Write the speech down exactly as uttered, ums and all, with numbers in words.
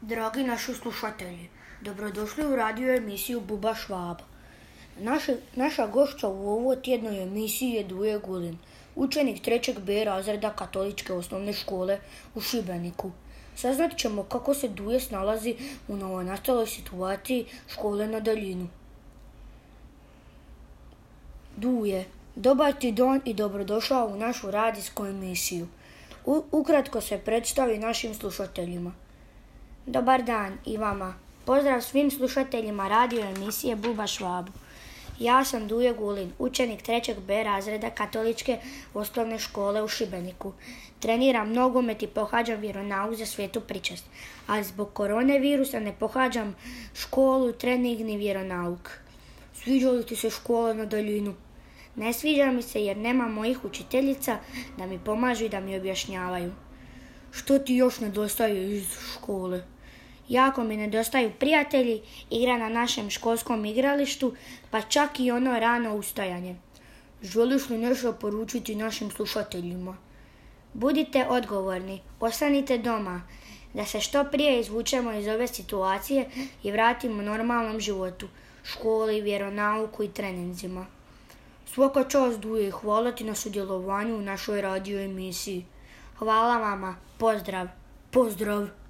Dragi naši slušatelji, dobrodošli u radio emisiju Buba Švaba. Naša, naša gošća u ovoj tjednoj emisiji je Duje Gulin, učenik trećeg B razreda Katoličke osnovne škole u Šibeniku. Saznat ćemo kako se Duje snalazi u novonastaloj situaciji škole na daljinu. Duje, dobar ti dan i dobrodošao u našu radijsku emisiju. U, ukratko se predstavi našim slušateljima. Dobar dan i vama. Pozdrav svim slušateljima radio emisije Buba Švabu. Ja sam Duje Gulin, učenik trećeg B razreda Katoličke osnovne škole u Šibeniku. Treniram nogomet i pohađam vjeronauk za svetu pričast, ali zbog korone virusa ne pohađam školu, trening ni vjeronauk. Sviđa li ti se škola na daljinu? Ne sviđa mi se jer nema mojih učiteljica da mi pomažu i da mi objašnjavaju. Što ti još nedostaje iz škole? Jako mi nedostaju prijatelji, igra na našem školskom igralištu, pa čak i ono rano ustajanje. Želiš li nešto poručiti našim slušateljima? Budite odgovorni, ostanite doma, da se što prije izvučemo iz ove situacije i vratimo normalnom životu, školi, vjeronauku i treninzima. Svaka čast Duje, hvala ti na sudjelovanju u našoj radio emisiji. Hvala vama, pozdrav. Pozdrav.